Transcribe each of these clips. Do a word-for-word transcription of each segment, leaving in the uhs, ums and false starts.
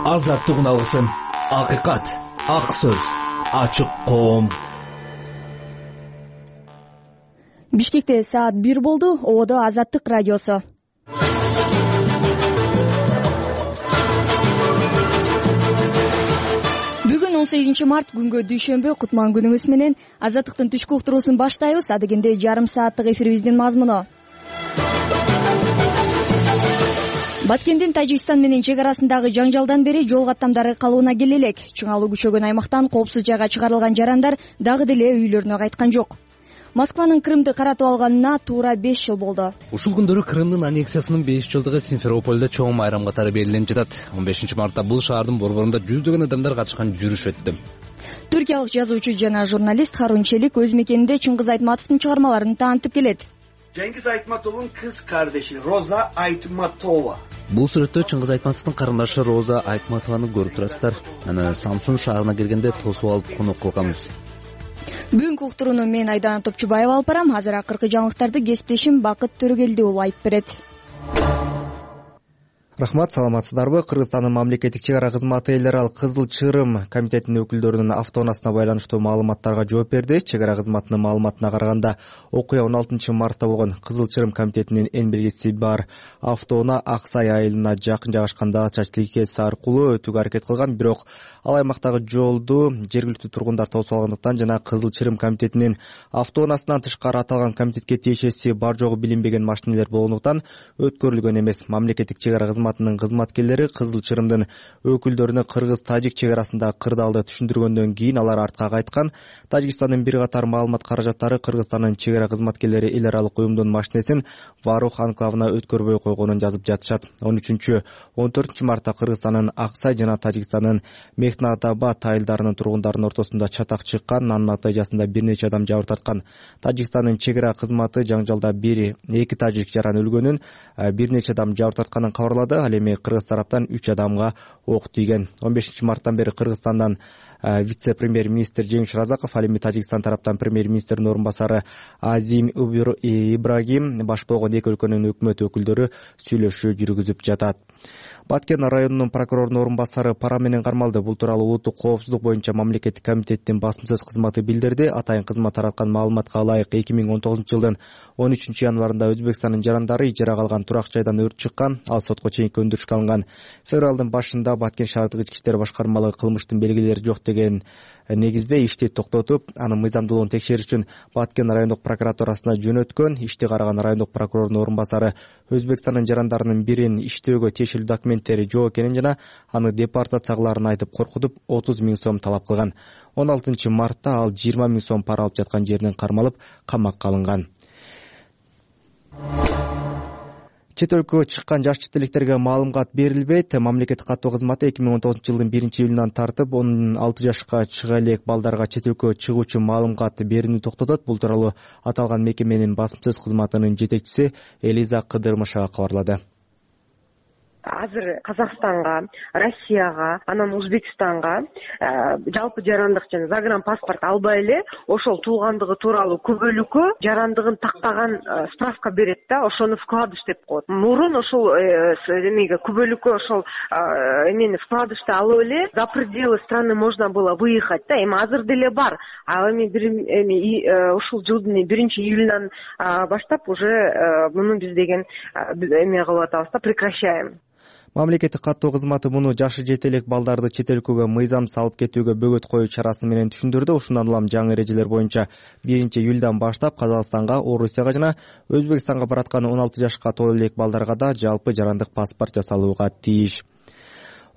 азаттыгын алгысың. Акыйкат, ак сөз, ачык коом. Бишкекте саат бир болду. Ободо Азаттык радиосу. Бүгүн он сегизинчи март күнгө дүйшөмбү, кутман күнүңүз менен Азаттыктын түшкү уктуруусун баштайбыз. Адегенде жарым сааттык эфирибиздин мазмуну. Баткендин Тажикстан менен чек арасындагы жаңжалдан бери жол каттамдары калыбына келе элек. Чыңалуу күчөгөн аймактан коопсуз жайга чыгарылган жарандар дагы деле үйлөрүнө кайткан жок. Москванын Крымды каратып алганына туура беш жыл болду. Ушул күндөрү Крымдын аннексиясынын беш жылдыгы Симферопольдо чоң майрам катары белгиленип жатат. он бешинчи мартта бул шаардын борборунда жүздөгөн адамдар катышкан жүрүш өттү. Түркиялык жазуучу жана журналист Харун Челик өз мекенинде Чыңгыз Айтматовдун чыгармаларын таанытып келет. Cengiz Aytmatov'un kız kardeşi Roza Aytmatova. Бул сүрөттө Чыңгыз Айтматовдун карындашы Роза Айтматованы көрүп турасыздар. Аны Самсун шаарына келгенде тосуп алып конок кылганбыз. Бүгүнкү уктурууну мен Айдана Топчубаева алып барам. Азыр акыркы жаңылыктарды кесиптешим Бакыт Төрөгелди уулу айтып берет. Рахмат, саламатсыздарбы? Кыргызстандын мамлекеттик чек ара кызматы эл аралык Кызыл Чырым комитетинин өкүлдөрүнүн автоунаасына байланыштуу маалыматтарга жооп берди. Чек ара кызматынын маалыматына караганда, окуя он алтынчы мартта болгон. Кызыл Чырым комитетинин эн белгиси бар автоунаа Ак Сай айылына жакын жайгашкан чач тилкеси аркылуу өтүүгө аракет кылган, бирок ал аймактагы жолду жергиликтүү тургундар тосуп алгандыктан жана Кызыл Чырым комитетинин автоунаасынан тышкары аталган комитетке тиешеси бар жогу билинбеген машинелер болгондуктан өткөрүлгөн эмес. Мамлекеттик чек ара кызматынын кызматкерлери Кызыл Чырымдын өкүлдөрүнө кыргыз-тажик чек арасындагы кырдаалды түшүндүргөндөн кийин алар артка кайткан. Тажикстандын бир катар маалымат каражаттары Кыргызстандын чек ара кызматкерлери эл аралык уюмдун машинесин Варух анклавына өткөрбөй койгонун жазып жатышат. он үчүнчү он төртүнчү мартта Кыргызстандын Ак Сай жана Тажикстандын Мехнатабад айылдарынын тургундарынын ортосунда чатак чыккан. Анын натыйжасында бир нече адам жабыр тарткан. Тажикстандын чек ара кызматы жаңжалда бир эки тажик жаран өлгөнүн, бир нече адам жабыр тартканын кабарлады. Ал эми кыргыз тараптан үч адамга ок тийген. он бешинчи марттан бери Кыргызстандан вице-премьер-министр Жеңиш Разаков, ал эми Тажикстан тараптан премьер-министрдин орун басары Азим Ибрагим баш болгон эки өлкөнүн өкмөт өкүлдөрү сүйлөшүү жүргүзүп жатат. Баткен районунун прокурорунун орун басары пара менен кармалды. Бул тууралуу улуттук коопсуздук боюнча мамлекеттик комитеттин басым сөз кызматы билдирди. Атайын кызмат тараткан маалыматка ылайык эки миң он тогузунчу жылдын он үчүнчү январында Өзбекстандын жарандары ижарага алган турак жайдан өрт чыккан. Ал сотко чейинки өндүрүшкө алынган. Февралдын башында Баткен шаардык ички иштер башкармалыгы кылмыштын белгилери жок деген негизде ишти токтотуп, анын мыйзамдуулугун текшериш үчүн Баткен райондук прокуратурасына жөнөткөн. Ишти караган райондук прокурордун орун басары Өзбекстандын жарандарынын бирин иштөөгө тиешелүү документтери жок экенин жана аны депортациялаарын айтып коркутуп отуз миң сом талап кылган. он алтынчы мартта ал жыйырма миң сом пара алып жаткан жеринен кармалып камакка алынган. Чет өлкөгө чыккан жаш чет электерге маалымат берилбейт. Мамлекеттик каттоо кызматы эки миң он тогузунчу жылдын биринчи июлунан тартып, он алты жашка чыга элек балдарга чет өлкөгө чыгуу үчүн маалымат берүүнү токтотот. Бул тууралуу аталган мекеменин басым сөз кызматынын жетекчиси Элиза Кыдырмышева кабарлады. Азыр Казакстанга, Россияга, анан Өзбекстанга жалпы жарандык жана загранпаспорт албай эле ошол туулгандыгы тууралуу күбөлүккө жарандыгын тактаган справка берет да, ошону вкладыш деп коет. Мурун ошол эмеге күбөлүккө ошол эмени вкладышты алып эле за пределы страны можно было выехать да. Эми азыр деле бар. А эми бир эми ушул жылдын биринчи июлунан баштап уже муну биз деген эме кылып атабыз да, прекращаем. Мамлекеттик каттоо кызматы муну жашы жете элек балдарды чет өлкөгө мыйзамсыз алып кетүүгө бөгөт коюу чарасы менен түшүндүрдү. Ушундан улам жаңы эрежелер боюнча биринчи июлдан баштап Казакстанга, Орусияга жана Өзбекстанга бараткан он алты жашка толо элек балдарга да жалпы жарандык паспорт жасалууга тийиш.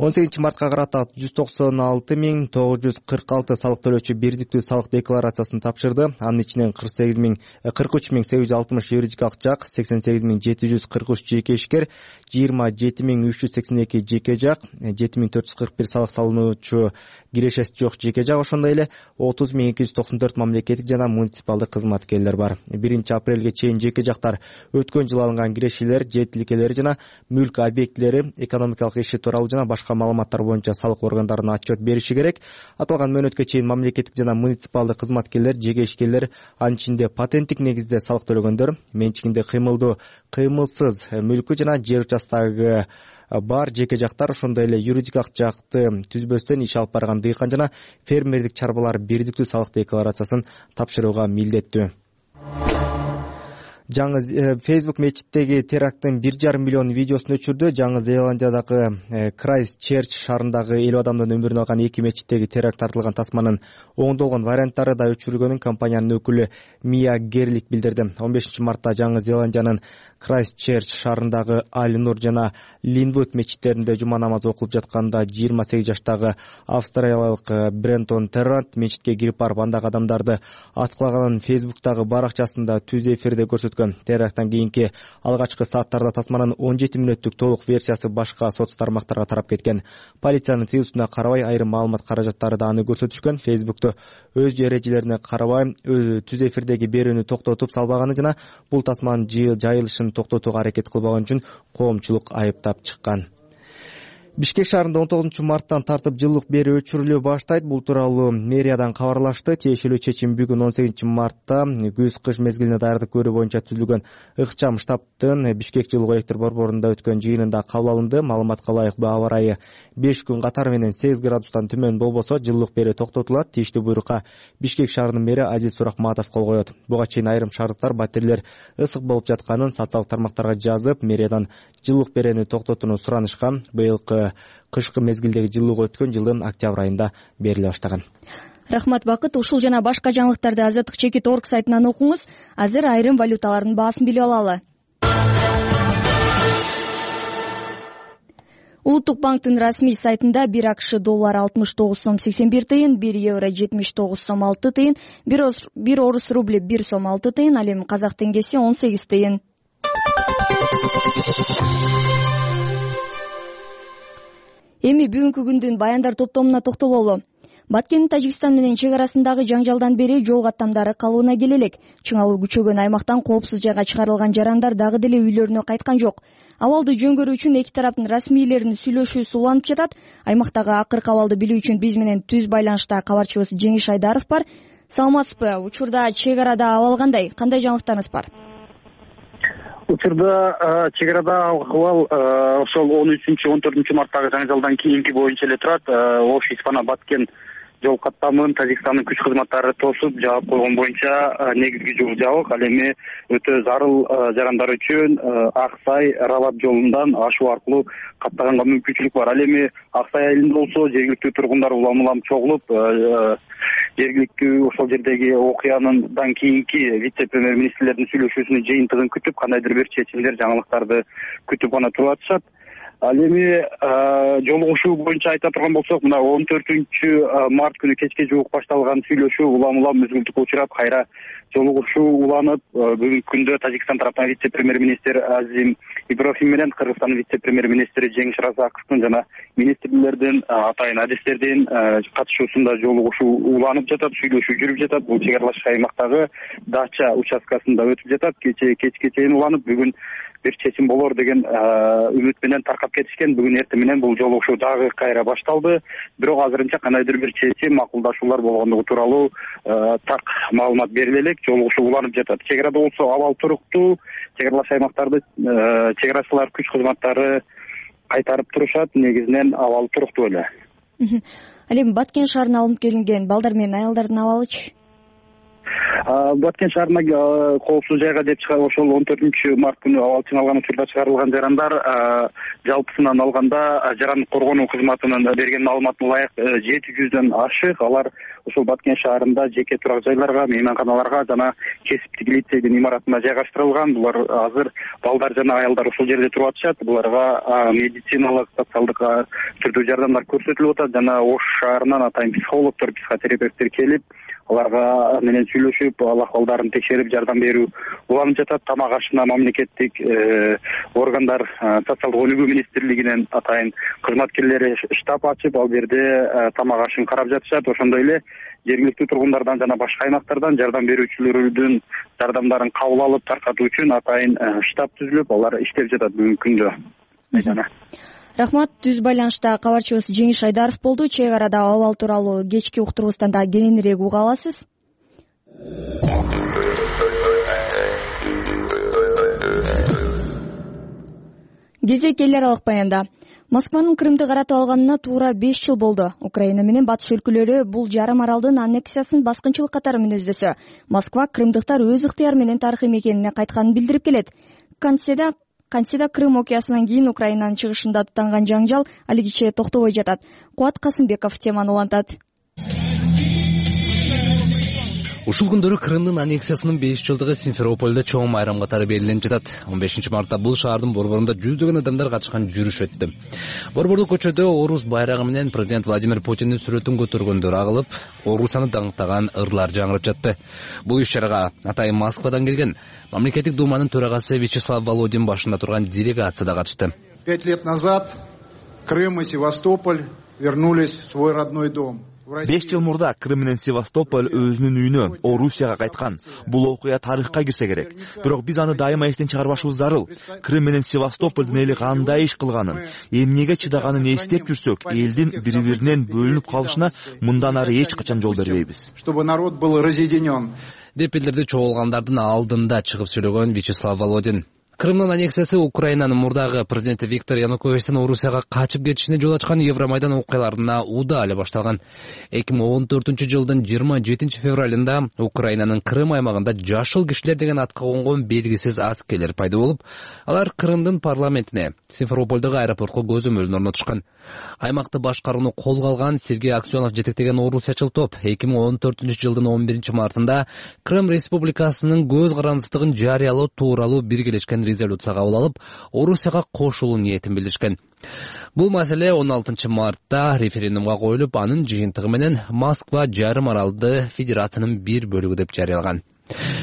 он сегизинчи мартка карата жүз токсон алты миң тогуз жүз кырк алты салык төлөөчү бирдиктүү салык декларациясын тапшырды. Анын ичинен кырк сегиз миң кырк үч миң сегиз жүз алтымыш юридикалык жак, сексен сегиз миң жети жүз кырк үч жеке ишкер, жыйырма жети миң үч жүз сексен эки жеке жак, жети миң төрт жүз кырк бир салык салынуучу кирешеси жок жеке жак, ошондой эле отуз миң эки жүз токсон төрт мамлекеттик жана муниципалдык кызматкерлер бар. биринчи апрелге чейин жеке жактар өткөн жылы алынган кирешелер, же тилкелери жана мүлк объектилери, экономикалык иши тууралуу жана башка башка маалыматтар боюнча салык органдарына отчет бериши керек. Аталган мөөнөткө чейин мамлекеттик жана муниципалдык кызматкерлер, жеке ишкерлер, анын ичинде патенттик негизде салык төлөгөндөр, менчигинде кыймылдуу, кыймылсыз мүлкү жана жер участогу бар жеке жактар, ошондой эле юридикалык жакты түзбөстөн иш алып барган дыйкан жана фермердик чарбалар бирдиктүү салык декларациясын тапшырууга милдеттүү. Жаңы Facebook мечиттеги теракттын бир жарым миллион видеосун өчүрдү. Жаңы Зеландиядагы Крайстчерч шаарындагы элүү адамдын өмүрүн алган эки мечиттеги теракт тартылган тасманын оңдолгон варианттары да өчүрүлгөнүн компаниянын өкүлү Мия Герлик билдирди. он бешинчи мартта Жаңы Зеландиянын Крайстчерч шаарындагы Аль-Нур жана Линвуд мечиттеринде жума намазы окулуп жатканда жыйырма сегиз жаштагы австралиялык Брентон Террант мечитке кирип барып андагы адамдарды аткылаганын Facebook'тагы баракчасында түз эфирде көрсөткөн. Теракттан кийинки алгачкы сааттарда тасманын он жети мүнөттүк толук версиясы башка соц тармактарга тарап кеткен. Полициянын тыюусуна карабай айрым маалымат каражаттары да аны көрсөтүшкөн. Facebook'то өз эрежелерине карабай түз эфирдеги берүүнү токтотуп салбаганы жана бул тасманын жайылышын токтотууга аракет кылбаган үчүн коомчулук айыптап чыккан. Бишкек шаарында он тогузунчу марттан тартып жылуулук берүү өчүрүлө баштайт. Бул тууралуу мэриядан кабарлашты. Тиешелүү чечим бүгүн он сегизинчи мартта күз-кыш мезгилине даярдык көрүү боюнча түзүлгөн ыкчам штабтын Бишкек жылуу электр борборунда өткөн жыйынында кабыл алынды. Маалыматка ылайык аба ырайы беш күн катары менен сегиз градустан төмөн болбосо жылуулук берүү токтотулат. Тийиштүү буйрукка Бишкек шаарынын мэри Азиз Суракматов кол коет. Буга чейин айрым шаардыктар батирелер ысык болуп жатканын социалдык тармактарга жазып, мэриядан жылуулук берүүнү токтотууну суранышкан. Быйылкы кышкы мезгилдеги жылуулук өткөн жылдын октябрь айында бериле баштаган. Рахмат Бакыт. Ушул жана башка жаңылыктарды азаттык чекит точка орг сайтынан окуңуз. Азыр айрым валюталардын баасын билип алалы. Улуттук банктын расмий сайтында бир АКШ доллары алтымыш тогуз сом сексен бир тыйын, бир евро жетимиш тогуз сом алты тыйын, бир орус рубли бир сом алты тыйын, ал эми казак теңгеси он сегиз тыйын. Эми бүгүнкү күндүн баяндар топтомуна токтололу. Баткендин Тажикстан менен чек арасындагы жаңжалдан бери жол каттамдары калууна келе элек. Чыңалуу күчөгөн аймактан коопсуз жайга чыгарылган жарандар дагы деле үйлөрүнө кайткан жок. Абалды жөнгөрүү үчүн эки тараптын расмийлеринин сүйлөшүүсү уланып жатат. Аймактагы акыркы абалды билүү үчүн биз менен түз байланышта кабарчыбыз Жеңиш Айдаров бар. Саламатсызбы? Учурда чек арада абал кандай? Кандай жаңылыктарыңыз бар? Учурда чек арада абал ошол он үчүнчү он төртүнчү марттагы жаңжалдан кийинки боюнча эле турат. Ош Испана Баткен жол каттамын Тажикстандын күч кызматтары тосуп жаап койгон боюнча негизги жол жабык. Ал эми өтө зарыл жарандар үчүн Аксай Рабат жолундан ашуу аркылуу каттаганга мүмкүнчүлүк бар. Ал эми Аксай айылында болсо жергиликтүү тургундар улам улам чогулуп, жергиликтүү ошол жердеги окуяндан кийинки вице-премьер-министрлердин сүйлөшүүсүнүн жыйынтыгын күтүп, кандайдыр бир чечимдер, жаңылыктарды күтүп гана туруп атышат. Ал эми жолугушуу боюнча айта турган болсок, мына он төртүнчү март күнү кечке жуук башталган сүйлөшүү улам улам мүзгүлтүккө учурап, кайра жолугушуу уланып, бүгүнкү күндө Тажикстан тараптан вице-премьер-министр Азим Иброхим менен Кыргызстандын вице-премьер-министри Жеңиш Разаковдун жана министрлердин, атайын адистердин катышуусунда жолугушуу уланып жатат, сүйлөшүү жүрүп жатат. Бул чек аралаш аймактагы Дача участкасында өтүп жатат. Кече кечке чейин уланып, бүгүн бир чечим болор деген үмүт менен таркап кетишкен. Бүгүн эртең менен бул жолугушуу дагы кайра башталды. Бирок азырынча кандайдыр бир чечим, макулдашуулар болгондугу тууралуу так маалымат бериле элек. Жолугушуу уланып жатат. Чек арада болсо абал туруктуу. Чек аралаш аймактарды чек арачылар күч кызматтары кайтарып турушат. Негизинен абал туруктуу эле. Ал эми Баткен шаарына алынып келинген балдар менен аялдардын абалычы? Баткен шаарына коопсуз жайга деп чыгып, ошол он төртүнчү март күнү абал чыңалган учурда чыгарылган жарандар жалпысынан алганда жаран коргонуу кызматынын берген маалыматына ылайык жети жүздөн ашык. Алар ошол Баткен шаарында жеке турак жайларга, мейманканаларга жана кесиптик лицейдин имаратына жайгаштырылган. Булар азыр балдар жана аялдар ошол жерде туруп атышат. Буларга медициналык, социалдык түрдүү жардамдар көрсөтүлүп атат жана Ош шаарынан атайын психологдор, психотерапевттер келип, аларга менен сүйлөшүп, ал акыбалдарын текшерип, жардам берүү уланып жатат. Тамак ашына мамлекеттик органдар, социалдык өнүгүү министрлигинин атайын кызматкерлери штаб ачып, ал жерде тамак ашын карап жатышат. Ошондой эле жергиликтүү тургундардан жана башка аймактардан жардам берүүчүлөрдүн жардамдарын кабыл алып таркатуу үчүн атайын штаб түзүлүп, алар иштеп жатат бүгүнкү күндө. рахмат. Түз байланышта кабарчыбыз Жеңиш Айдаров болду. Чек арада абал тууралуу кечки уктурубуздан да кененирээк уга аласыз. Кезек эл аралык баянда. Москванын Крымды каратып алганына туура беш жыл болду. Украина менен батыш өлкөлөрү бул жарым аралдын аннексиясын баскынчылык катары мүнөздөсө, Москва крымдыктар өз ыктыяры менен тарыхый мекенине кайтканын билдирип келет. Кантседа Кантседа Крым окуясынан кийин Украинанын чыгышында тутанган жаңжал алигиче токтобой жатат. Кубат Касымбеков теманы улантат. Ушул күндөрү Крымдын аннексиясынын беш жылдыгы Симферопольдо чоң майрам катары белгиленип жатат. он бешинчи мартта бул шаардын борборунда жүздөгөн адамдар катышкан жүрүш өттү. Борбордук көчөдө Орус байрагы менен президент Владимир Путиндин сүрөтүн көтөргөндөр агылып, Орусаны даңктаган ырлар жаңырып жатты. Бул иш-чарага атайын Москвадан келген мамлекеттик думанын төрагасы Вячеслав Володин башында турган делегация да катышты. Пять лет назад Крым и Севастополь вернулись в свой родной дом. беш жыл мурда Крым менен Севастополь өзүнүн үйүнө, Орусияга кайткан. Бул окуя тарыхка кирсе керек. Бирок биз аны дайыма эстен чыгарбашыбыз зарыл. Крым менен Севастополдун эли кандай иш кылганын, эмнеге чыдаганын эстеп жүрсөк, элдин бири-биринен бөлүнүп калышына мындан ары эч качан жол бербейбиз. Чтобы народ был разъединен. Деп билдирди чогулгандардын алдында чыгып сүйлөгөн Вячеслав Володин. Крымдын аннексиясы Украинанын мурдагы президенти Виктор Януковичтин Орусияга качып кетишине жол ачкан Евромайдан окуяларына уда эле башталган. эки миң он төртүнчү жылдын жыйырма жетинчи февралында Украинанын Крым аймагында жашыл кишилер деген атка конгон белгисиз аскерлер пайда болуп, алар Крымдын парламентине, Симферопольдогу аэропортко көзөмөлүн орнотушкан. Аймакты башкарууну колго алган Сергей Аксенов жетектеген орусиячыл топ эки миң он төртүнчү жылдын он биринчи мартында Крым Республикасынын көз карандысыздыгын жарыялоо тууралуу биргелешкен резолюция кабыл алып, Орусияга кошулуу ниетин билдиришкен. Бул маселе он алтынчы мартта референдумга коюлуп, анын жыйынтыгы менен Москва жарым аралды федерациянын бир бөлүгү деп жарыялаган.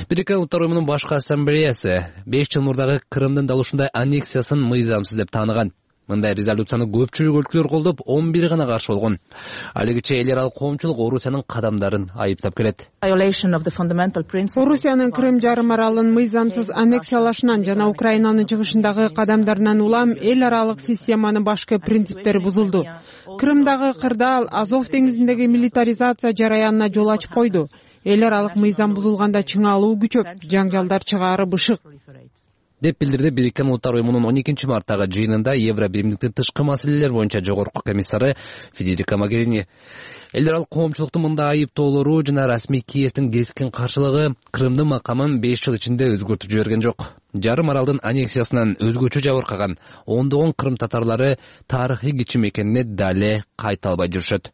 Бириккен Улуттар уюмунун башкы ассамблеясы беш жыл мурдагы Крымдын дал ушундай аннексиясын мыйзамсыз деп тааныган. Мындай резолюцияны көпчүлүк өлкөлөр колдоп, он бир гана каршы болгон. Алигиче эл аралык коомчулук Орусиянын кадамдарын айыптап келет. Орусиянын Крым жарым аралын мыйзамсыз аннексиялашынан жана Украинанын чыгышындагы кадамдарынан улам эл аралык системанын башкы принциптери бузулду. Крымдагы кырдаал Азов деңизиндеги милитаризация жараянына жол ачып койду. Эл аралык мыйзам бузулганда чыңалуу күчөп, жаңжалдар чыгаары бышык. Деп билдирди Бириккен Улуттар уюмунун он экинчи марттагы жыйынында Евро биримдиктин тышкы маселелер боюнча жогорку комиссары Федерико Могерини. Эл аралык коомчулуктун мындай айыптоолору жана расмий Киевдин кескин каршылыгы Крымдын макамын беш жыл ичинде өзгөртүп жиберген жок. Жарым аралдын аннексиясынан өзгөчө жабыркаган ондогон крым татарлары тарыхый кичи мекенине дале кайта албай жүрүшөт.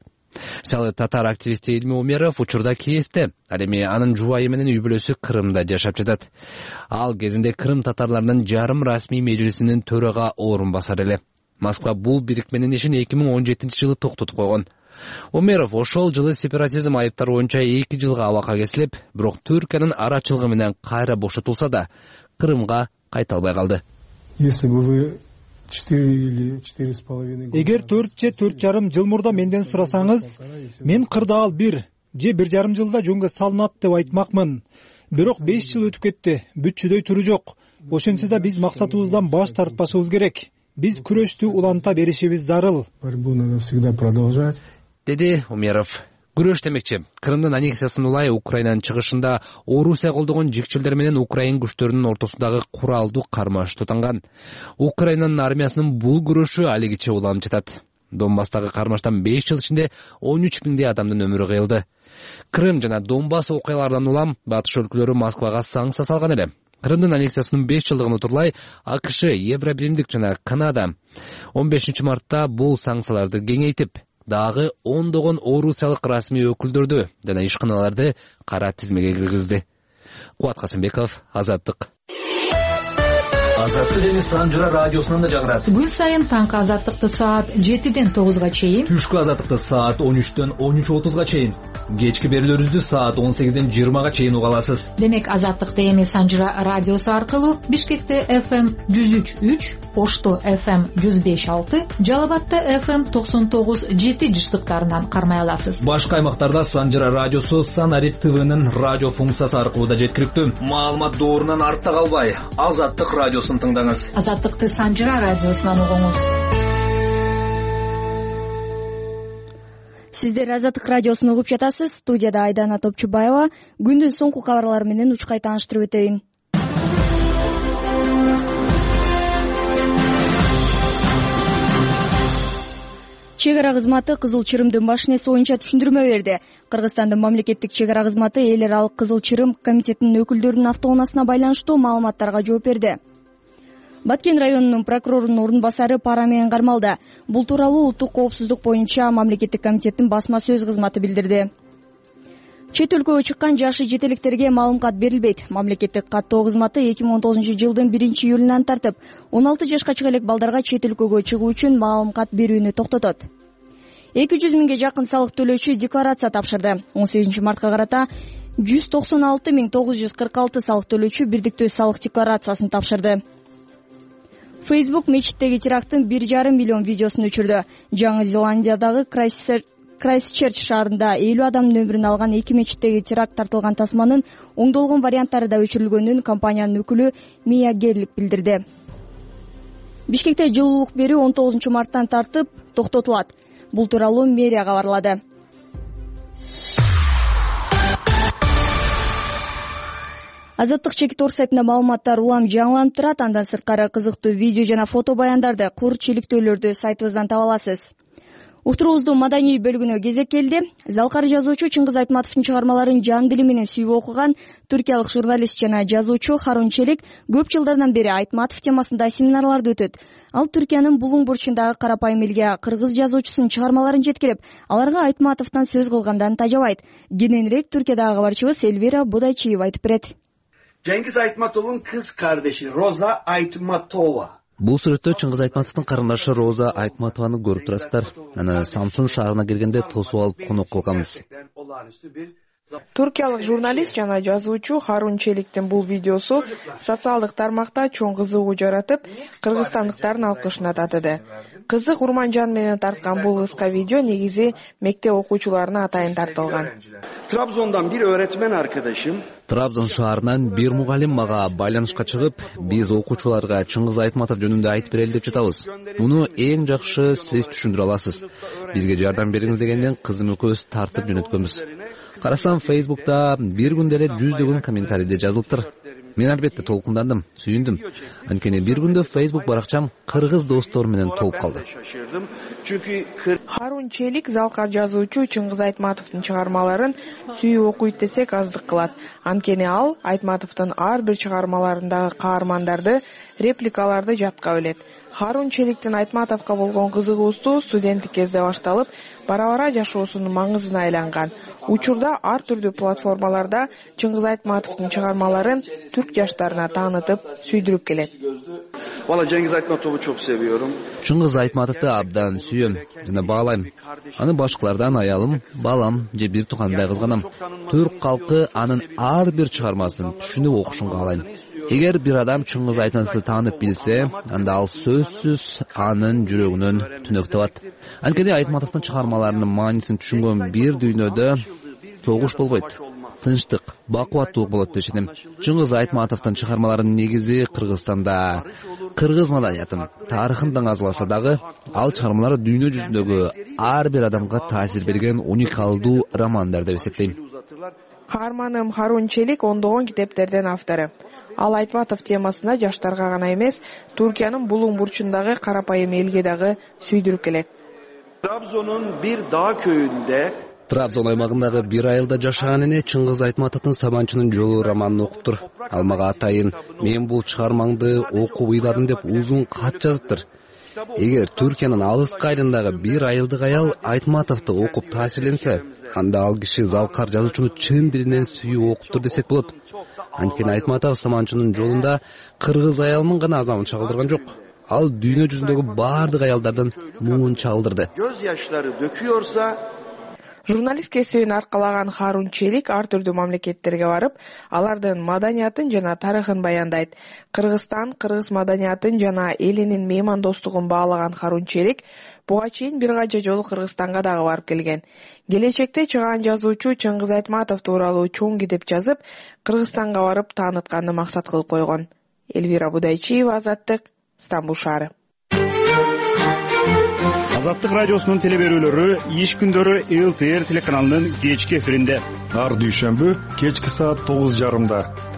Мисалы татар активисти Эльми Умеров учурда Киевде, ал эми анын жубайы менен үй бүлөсү Крымда жашап жатат. Ал кезинде Крым татарларынын жарым расмий межлисинин төрага орун басар эле. Москва бул бирикменин ишин эки миң он жетинчи жылы токтотуп койгон. Умеров ошол жылы сепаратизм айыптары боюнча эки жылга абакка кесилип, бирок Түркиянын арачылыгы менен кайра бошотулса да, Крымга кайта албай калды. Если бы вы Эгер төрт же төрт жарым жыл мурда менден сурасаңыз, мен кырдаал бир же бир жарым жылда жөнгө салынат деп айтмакмын. Бирок беш жыл өтүп кетти, бүт-чүдөй туру жок. Ошентсе да биз максатыбыздан баш тартпашыбыз керек. Биз күрөштү уланта беришибиз зарыл. Борьбу надо всегда продолжать, деди Умеров. Күрөш демекчи, Крымдын аннексиясын улай Украинанын чыгышында Орусия колдогон жикчилдер менен Украин күчтөрүнүн ортосундагы куралдуу кармаш тутанган. Украинанын армиясынын бул күрөшү алигиче уланып жатат. Донбасстагы кармаштан беш жыл ичинде он үч миңдей адамдын өмүрү кыйылды. Крым жана Донбасс окуяларынан улам батыш өлкөлөрү Москвага санкция салган эле. Крымдын аннексиясынын беш жылдыгын утурлай АКШ, Евробиримдик жана Канада он бешинчи мартта бул санкцияларды кеңейтип, дагы ондогон орусиялык расмий өкүлдөрдү жана ишканаларды кара тизмеге киргизди. Кубат Касымбеков, Азаттык. Азаттык эми Санжыра радиосунан да жаңырат. Күн сайын таңкы Азаттыкты саат жетиден тогузга чейин, түшкү Азаттыкты саат он үчтөн он үч отузга чейин, кечки берүүлөрүбүздү саат он сегизден жыйырмага чейин уга аласыз. Демек Азаттыкты эми Санжыра радиосу аркылуу Бишкекте эф эм жүз үч үч, Ошто эф эм жүз беш алты, Жалал Абадта эф эм токсон тогуз жети жыштыктарынан кармай аласыз. Башка аймактарда Санжыра радиосу Санарип ТВнын радио функциясы аркылуу да жеткиликтүү. Маалымат доорунан артта калбай, Азаттык радиосун тыңдаңыз. Азаттыкты Санжыра радиосунан угуңуз. Сиздер Азаттык радиосун угуп жатасыз. Студияда Айдана Топчубаева. Күндүн соңку кабарлары менен учкай тааныштырып өтөйүн. Чек ара кызматы Кызыл Чырымдын баш неси боюнча түшүндүрмө берди. Кыргызстандын мамлекеттик чек ара кызматы эл аралык Кызыл Чырым комитетинин өкүлдөрүнүн автоунаасына байланыштуу маалыматтарга жооп берди. Баткен районунун прокурорунун орун басары пара менен кармалды. Бул тууралуу улуттук коопсуздук боюнча мамлекеттик комитеттин басма сөз кызматы билдирди. Чет өлкөгө чыккан жашы жетелектерге маалым кат берилбейт. Мамлекеттик каттоо кызматы эки миң он тогузунчу жылдын биринчи июлунан тартып он алты жашка чыга элек балдарга чет өлкөгө чыгуу үчүн маалым кат берүүнү токтотот. эки жүз миңге жакын салык төлөөчү декларация тапшырды. он сегизинчи мартка карата жүз токсон алты миң тогуз жүз кырк алты салык төлөөчү бирдиктүү салык декларациясын тапшырды. Facebook мечиттеги теракттын бир жарым миллион видеосун өчүрдү. Жаңы Зеландиядагы Крайстчерч шаарында элүү адамдын өмүрүн алган эки мечиттеги теракт тартылган тасманын оңдолгон варианттары да өчүрүлгөнүн компаниянын өкүлү Мия Герлик билдирди. Бишкекте жылуулук берүү он тогузунчу марттан тартып токтотулат. Бул тууралуу мэрия кабарлады. Азаттык чекит орг сайтында маалыматтар улам жаңыланып турат. Андан сырткары кызыктуу видео жана фото баяндарды, кур чиликтөөлөрдү сайтыбыздан таба аласыз. Уктуруубуздун маданий бөлүгүнө кезек келди. Залкар жазуучу Чыңгыз Айтматовдун чыгармаларын жан дили менен сүйүп окуган туркиялык журналист жана жазуучу Харун Челик көп жылдардан бери Айтматов темасында семинарларды өтөт. Ал Түркиянын Булуң бурчундагы карапайым элге кыргыз жазуучусунун чыгармаларын жеткирип, аларга Айтматовдон сөз кылгандан тажабайт. Кененирээк Түркиядагы кабарчыбыз Эльвира Будайчиева айтып берет. Cengiz Aytmatov'un kız kardeşi Roza Aytmatova. Бул сүрөттө Чыңгыз Айтматовдун карындашы Роза Айтматованы көрүп турасыздар. Аны Самсун шаарына келгенде тосуп алып конок кылганбыз. Туркиялык журналист жана жазуучу Харун Челиктин бул видеосу социалдык тармакта чоң кызыгуу жаратып, кыргызстандыктардын алкышына татыды. Кызык Урманжан менен тарткан бул кыска видео негизи мектеп окуучуларына атайын тартылган. Trabzon'dan bir öğretmen arkadaşım Трабзон шаарынан бир мугалим мага байланышка чыгып, биз окуучуларга Чыңгыз Айтматов жөнүндө айтып берели деп жатабыз. Муну эң жакшы сиз түшүндүрө аласыз. Бизге жардам бериңиз дегенден кызым экөөбүз тартып жөнөткөнбүз. Карасам Facebook'та бир күндө эле жүздөгөн комментарийде жазылыптыр. Мен албетте толкундандым, сүйүндүм. Анткени бир күндө Facebook баракчам кыргыз достор менен толуп калды. Харун Челик залкар жазуучу Чыңгыз Айтматовдун чыгармаларын сүйүп окуйт десек аздык кылат. Анткени ал Айтматовдун ар бир чыгармаларындагы каармандарды, репликаларды жатка билет. Харун Челиктин Айтматовго болгон кызыгуусу студенттик кезде башталып, бара-бара жашоосунун маңызына айланган. Учурда ар түрдүү платформаларда Чыңгыз Айтматовдун чыгармаларын түрк жаштарына таанытып, сүйдүрүп келет. Valla Cengiz Aytmatov'u çok seviyorum. Чыңгыз Айтматовду абдан сүйөм жана баалайм. Аны башкалардан аялым, балам же бир тукандай кызганам. Түрк калкы анын ар бир чыгармасын түшүнүп окушун каалайм. Эгер бир адам Чыңгыз Айтматовду таанып билсе, анда ал сөзсүз анын жүрөгүнөн түнөк табат. Анткени Айтматовдун чыгармаларынын маанисин түшүнгөн бир дүйнөдө согуш болбойт. Тынчтык, бакубаттуулук болот деп ишенем. Чыңгыз Айтматовдун чыгармаларынын негизи Кыргызстанда кыргыз маданиятын, тарыхын даңазаласа дагы, ал чыгармалары дүйнө жүзүндөгү ар бир адамга таасир берген уникалдуу романдар деп эсептейм. Каарманым Харун Челик ондогон китептердин автору. Ал Айтматов темасына жаштарга гана эмес, Түркиянын Булуң бурчундагы карапайым элге дагы сүйдүрүп келет. Trabzon'un bir dağ köyünde Трабзон аймагындагы бир айылда жашаган эне Чыңгыз Айтматовдун Сабанчынын жолу романын окуптур. Ал мага атайын мен бул чыгармаңды окуп ыйладым деп узун кат жазыптыр. Эгер Түркиянын алыскы айылындагы бир айылдык аял Айтматовду окуп таасирленсе, анда ал киши залкар жазуучуну чын дилинен сүйүп окуптур десек болот. Анткени Айтматов Саманчынын жолунда кыргыз аялынын гана азабын чагылдырган жок. Ал дүйнө жүзүндөгү бардык аялдардын муун чагылдырды. Göz yaşları döküyorsa Журналист кесибин аркалаган Харун Челик ар түрдүү мамлекеттерге барып, алардын маданиятын жана тарыхын баяндайт. Кыргызстан, кыргыз маданиятын жана элинин меймандостугун баалаган Харун Челик буга чейин бир канча жолу Кыргызстанга дагы барып келген. Келечекте чыгаан жазуучу Чыңгыз Айтматов тууралуу чоң китеп жазып, Кыргызстанга барып таанытканды максат кылып койгон. Эльвира Будайчиева, Азаттык, Стамбул шаары. Азаттык радиосунун теле берүүлөрү иш күндөрү эл ти эр телеканалынын кечки эфиринде. Ар дүйшөмбү кечки саат тогуз жарымда.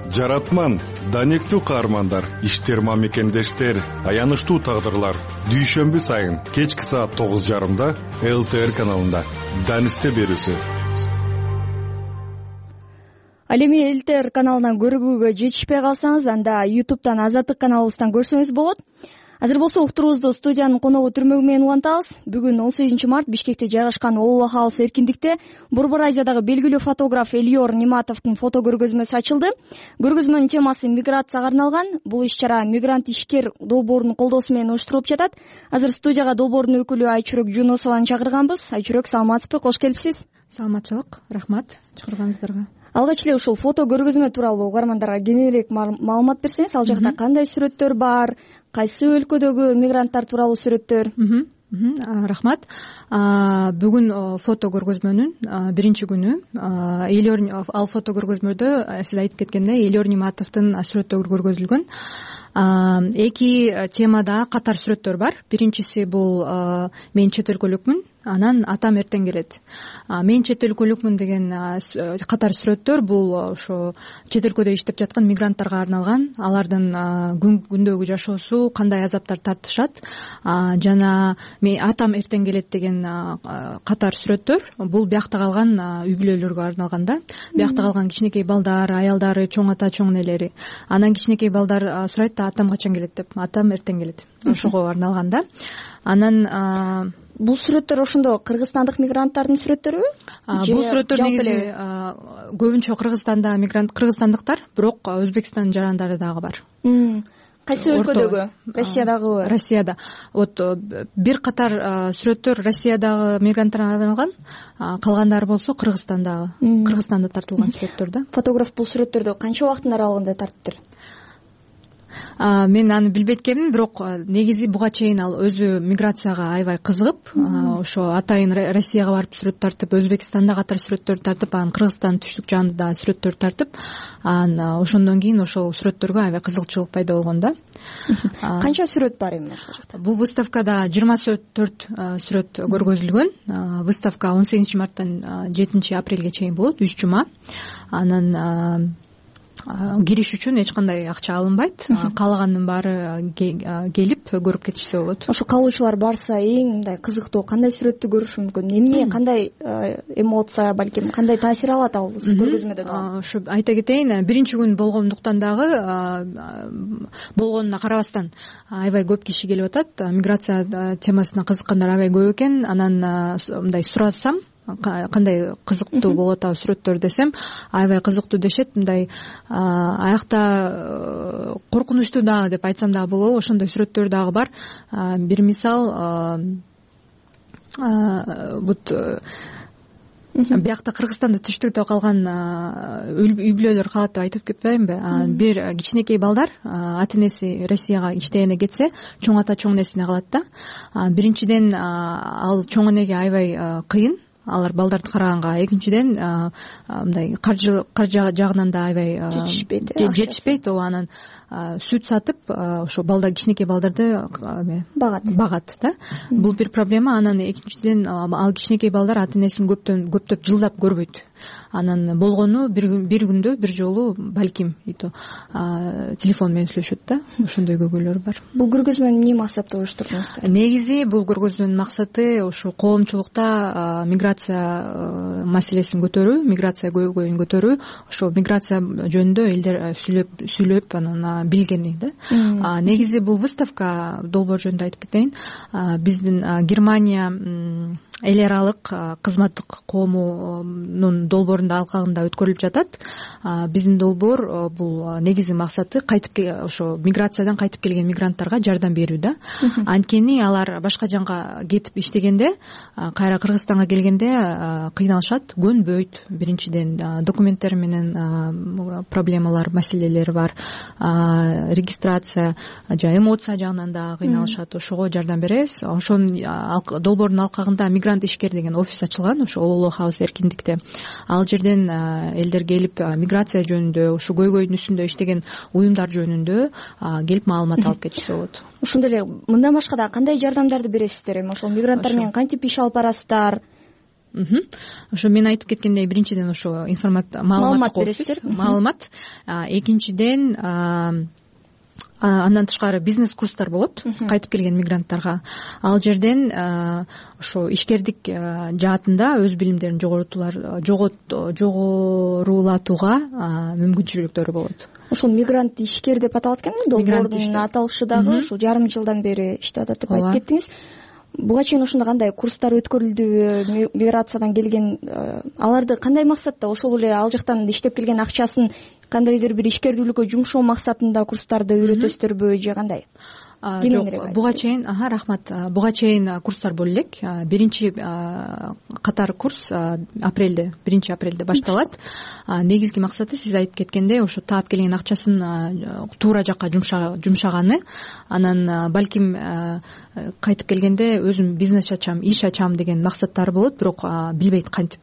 Жаратман, данектүү каармандар, иштер мамекендештер, аянычтуу тагдырлар. Дүйшөмбү сайын кечки саат тогуз жарымда эл ти эр каналында. Данисте берүүсү. Ал эми эл ти эр каналынан көрүүгө жетишпей калсаңыз, анда ютубтан Азаттык каналыбыздан көрсөңүз болот. Азыр болсо уктуруубузду студиянын коногу түрмөгү менен улантабыз. Бүгүн он сегизинчи март Бишкекте жайгашкан Олуло Хаус эркиндикте Борбор Азиядагы белгилүү фотограф Элиор Ниматовдун фото көргөзмөсү ачылды. Көргөзмөнүн темасы миграцияга арналган. Бул иш-чара мигрант ишкер долбоорунун колдоосу менен уюштурулуп жатат. Азыр студияга долбоордун өкүлү Айчүрөк Жунусованы чакырганбыз. Айчүрөк, саламатсызбы? Кош келипсиз. Саламатчылык, рахмат чакырганыңыздарга. Алгач эле ушул фото көргөзмө тууралуу угармандарга кененирээк маалымат берсеңиз, ал жакта кандай сүрөттөр бар, кайсы өлкөдөгү мигранттар тууралуу сүрөттөр? Рахмат. Бүгүн фото көргөзмөнүн биринчи күнү. Элиор ал фото көргөзмөдө сиз айтып кеткендей Элиор Ниматовдун сүрөттөрү көргөзүлгөн. Эки темада катар сүрөттөр бар. Биринчиси бул мен чет өлкөлүкмүн, анан атам эртең келет. Мен чет өлкөлүкмүн деген катар сүрөттөр бул ошо чет өлкөдө иштеп жаткан мигранттарга арналган. Алардын күндөгү жашоосу кандай азаптар тартышат жана мен атам эртең келет деген катар сүрөттөр бул биякта калган үй бүлөлөргө арналган да. Биякта калган кичинекей балдар, аялдары, чоң ата, чоң энелери. Анан кичинекей балдар сурайт да атам качан келет деп. Атам эртең келет. Ошого арналган да. Анан бул сүрөттөр ошондо кыргызстандык мигранттардын сүрөттөрүбү? Бул сүрөттөр негизи көбүнчө Кыргызстанда мигрант кыргызстандыктар, бирок Өзбекстан жарандары дагы бар. Кайсы өлкөдөгү? Россиядагыбы? Россияда. Вот бир катар сүрөттөр Россиядагы мигранттарга арналган, калгандары болсо Кыргызстандагы, Кыргызстанда тартылган сүрөттөр да. Фотограф бул сүрөттөрдү канча убакыттын аралыгында тартыптыр? Мен аны билбейт экенмин, бирок негизи буга чейин ал өзү миграцияга аябай кызыгып, ошо атайын Россияга барып сүрөт тартып, Өзбекстанда катар сүрөттөр тартып, анан Кыргызстандын түштүк жагында да сүрөттөр тартып, анан ошондон кийин ошол сүрөттөргө аябай кызыкчылык пайда болгон да. Канча сүрөт бар эми ошол жакта? Бул выставкада жыйырма төрт сүрөт көргөзүлгөн. Выставка он сегизинчи марттан жетинчи апрелге чейин болот, үч жума. Анан кириш үчүн эч кандай акча алынбайт. Каалагандын баары келип көрүп кетишсе болот. Ошо калуучулар барса эң мындай кызыктуу кандай сүрөттү көрүшү мүмкүн? Эмне, кандай эмоция, балким кандай таасир алат ал көргөзмөдөн? Ошо айта кетейин, биринчи күн болгондуктан дагы болгонуна карабастан аябай көп киши келип атат. Миграция темасына кызыккандар аябай көп экен. Анан мындай сурасам, кандай кызыктуу болот а сүрөттөр десем, аябай кызыктуу дешет. Мындай аякта коркунучтуу дагы деп айтсам дагы болобу, ошондой сүрөттөр дагы бар. Бир мисал, бут биякта Кыргызстанда түштүктө калган үй бүлөлөр калат деп айтып кетпейминби? Бир кичинекей балдар ата энеси Россияга иштегене кетсе, чоң ата чоң энесине калат да. Биринчиден ал чоң энеге аябай кыйын алар балдарды караганга. Экинчиден мындай каржы каржы жагынан да аябай жетишпейт. Ооба, анан сүт сатып ошо балдар кичинекей балдарды багат багат да. Бул бир проблема. Анан экинчиден ал кичинекей балдар ата энесин көптөн көптөп жылдап көрбөйт. Анан болгону бир күндө бир жолу балким телефон менен сүйлөшөт да. Ошондой көйгөйлөр бар. Бул көргөзмөнү эмне максатта уюштурдуңуздар? Негизи бул көргөзмөнүн максаты ошо коомчулукта миграция маселесин көтөрүү, миграция көйгөйүн көтөрүү, ошо миграция жөнүндө элдер сүйлөп сүйлөп анан билгени да. Негизи бул выставка долбоор жөнүндө айтып кетейин. Биздин Германия эл аралык кызматтык коомунун долбоорунда алкагында өткөрүлүп жатат. Биздин долбоор бул негизи максаты кайтып ошо миграциядан кайтып келген мигранттарга жардам берүү да. Анткени алар башка жакка кетип иштегенде, кайра Кыргызстанга келгенде кыйналышат, көнбөйт. Биринчиден документтер менен проблемалар, маселелери бар. Регистрация, жа эмоция жагынан да кыйналышат. Ошого жардам беребиз. Ошонун долбоордун алкагында мигрант мигрант ишкер деген офис ачылган ошо Улуулук хаус эркиндикте. Ал жерден элдер келип миграция жөнүндө, ушу көйгөйдүн үстүндө иштеген уюмдар жөнүндө келип маалымат алып кетишсе болот. Ошондой эле мындан башка дагы кандай жардамдарды бересиздер? Эми ошол мигранттар менен кантип иш алып барасыздар? Ошо мен айтып кеткендей, биринчиден ошо маалымат бересиздер, маалымат. Экинчиден андан тышкары бизнес курстар болот кайтып келген мигранттарга. Ал жерден ошо ишкердик жаатында өз билимдерин жогорутуулар жогорулатууга мүмкүнчүлүктөрү болот. Ошол мигрант ишкер деп аталат экен, долбоордун аталышы дагы ушул жарым жылдан бери иштеп атат деп айтып кеттиңиз. Буга чейин ошондо кандай курстар өткөрүлдүбү? Миграциядан келген аларды кандай максатта, ошол эле ал жактан иштеп келген акчасын кандайдыр бир ишкердүүлүккө жумшоо максатында курстарды үйрөтөсүздөрбү же кандай? Жок, буга чейин, аха, рахмат. Буга чейин курстар боло элек. Биринчи катар курс апрелде, биринчи апрелде башталат. Негизги максаты сиз айтып кеткендей, ошо таап келген акчасын туура жакка жумшаганы, анан балким кайтып келгенде өзүм бизнес ачам, иш ачам деген максаттары болот, бирок билбейт кантип.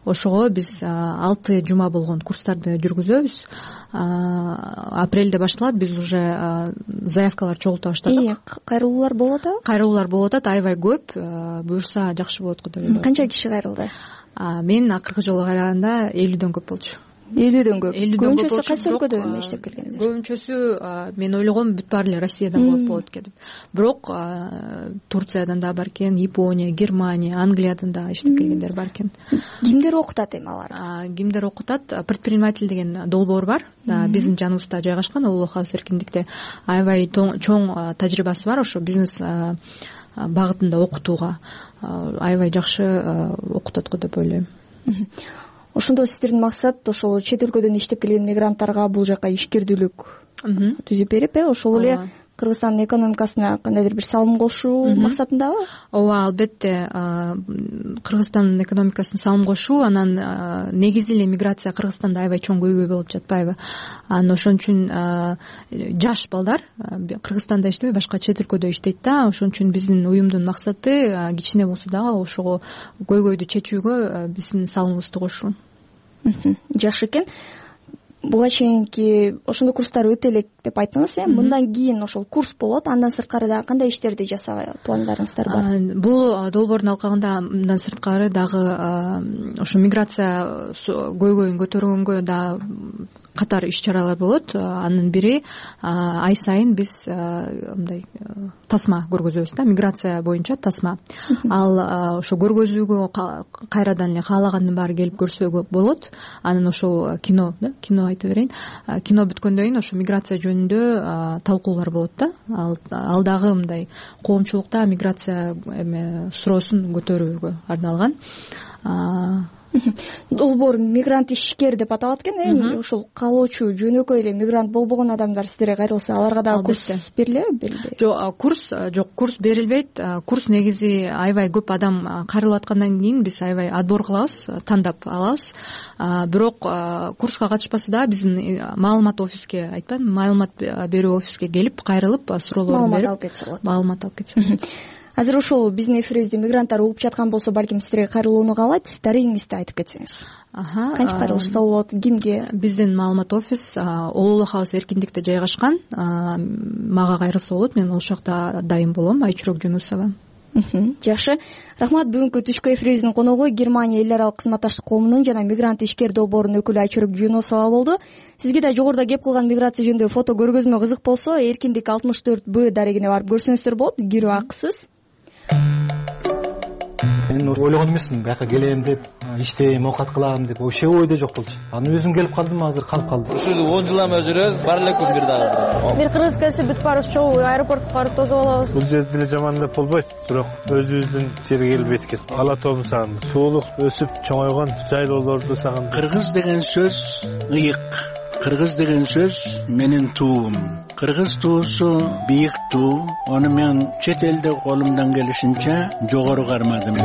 Ошого биз алты жума болгон курстарды жүргүзөбүз. Апрелде башталат, биз уже заявкалар чогулта баштадык. Кайрылуулар болуп атабы? Кайрылуулар болуп атат, аябай көп. Буюрса жакшы болот го деп ойлойм. Канча киши кайрылды? Мен акыркы жолу кайраганда элүүдөн көп болчу. элүүдөн көп. Көбүнчөсү кайсы өлкөдөн иштеп келгендер? Көбүнчөсү мен ойлогом бүт баары эле Россиядан болот болот деп. Бирок Турциядан да бар экен, Япония, Германия, Англиядан да иштеп келгендер бар экен. Кимдер окутат эми аларды? Кимдер окутат? Предприниматель деген долбоор бар. Биздин жаныбызда жайгашкан Улуулук хаус эркиндикте. Аябай чоң тажрыйбасы бар ошо бизнес багытында окутууга. Аябай жакшы окутат го деп ойлойм. Ошондо сиздердин максат ошол чет өлкөдөн иштеп келген мигранттарга бул жака ишкердүүлүк түзүп берип, э ошол эле Кыргызстандын экономикасына кандайдыр бир салым кошуу максатындабы? Ооба, албетте. Кыргызстандын экономикасына салым кошуу, анан негизи эле миграция Кыргызстанда аябай чоң көйгөй болуп жатпайбы? Анан ошон үчүн жаш балдар Кыргызстанда иштебей башка чет өлкөдө иштейт да. Ошон үчүн биздин уюмдун максаты кичине болсо дагы ошого көйгөйдү чечүүгө биздин салымыбызды кошуу. Жакшы экен. Буга чейинки ошондой курстар өтө элек деп айттыңыз, э? Мындан кийин ошол курс болот, андан сырткары дагы кандай иштерди жасаага пландарыңыздар бар? Бул долбоордун алкагында мындан сырткары дагы ошо миграция көйгөйүн көтөргөнгө да катар иш-чаралар болот. Анын бири ай сайын биз мындай тасма көргөзөбүз да, миграция боюнча тасма. Ал ошо көргөзүүгө кайрадан эле каалагандын баары келип көрсө болот. Анан ошол кино, да, кино айтып берейин. Кино бүткөндөн кийин ошо миграция жөнүндө талкуулар болот да. Ал дагы мындай коомчулукта миграция эме суроосун көтөрүүгө арналган. Долбоор мигрант ишкер деп аталат экен, эми ошол калоочу жөнөкөй эле мигрант болбогон адамдар сиздерге кайрылса, аларга дагы курс берилеби, берилбейби? Жок, курс жок, курс берилбейт. Курс негизи аябай көп адам кайрылып аткандан кийин биз аябай отбор кылабыз, тандап алабыз. Бирок курска катышпаса да биздин маалымат офиске, айтпадымбы, маалымат берүү офиске келип кайрылып суроолорун берип маалымат алып кетсе болот. Маалымат алып кетсе болот. Азыр ошол биздин эфирибизди мигранттар угуп жаткан болсо, балким сиздерге кайрылууну каалайт, дарегиңизди айтып кетсеңиз. Аха. Кантип кайрылышса болот, кимге? Биздин маалымат офис Улуулук хаус эркиндикте жайгашкан. Мага кайрылса болот, мен ошол жакта дайым болом, Айчүрөк Жунусова. Жакшы. Рахмат. Бүгүнкү түшкү эфирибиздин коногу Германия эл аралык кызматташтык коомунун жана мигрант ишкер долбоорунун өкүлү Айчүрөк Жунусова болду. Сизге да жогоруда кеп кылган миграция жөнүндө фото көргөзмө кызык болсо, Эркиндик алтымыш төрт Б дарегине барып көрсөңүздөр болот. Кирүү акысыз. Мен ойлогон эмесмин, бияка келем деп, иштейм, оокат кылам деп, вообще ойдо жок болчу. Анан өзүм келип калдым, азыр калып калдым. Ушул он жылдан бери жүрөбүз, бар эле күн бир дагы. Бир кыргыз келсе бүт баарыбыз чогуу аэропортко барып тосуп алабыз. Бул жерде деле жаман деп болбойт, бирок өзүбүздүн жерге келип эткет. Ала тоом сагындым. Туулук өсүп чоңойгон жайлоолорду сагындым. Кыргыз деген сөз ыйык. Кыргыз деген сөз менин туум. Кыргыз туусу бийик туу. Аны мен чет элде колумдан келишинче жогору кармадым.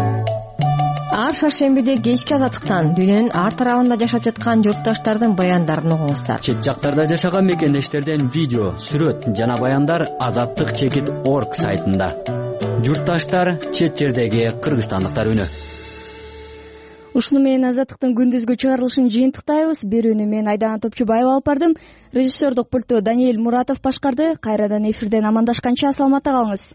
Ар шаршембиде кечки азаттыктан дүйнөнүн ар тарабында жашап жаткан журтташтардын баяндарын угуңуздар. Чет жактарда жашаган мекендештерден видео, сүрөт жана баяндар азаттык чекит орг сайтында. журтташтар, чет жердеги кыргызстандыктар үнү. Ушуну менен Азаттыктын күндүзгү чыгарылышын жыйынтыктайбыз. Берүүнү мен Айдана Топчубаева алып бардым. Режиссердук пультту Даниэль Муратов башкарды. Кайрадан эфирден амандашканча саламатта калыңыз.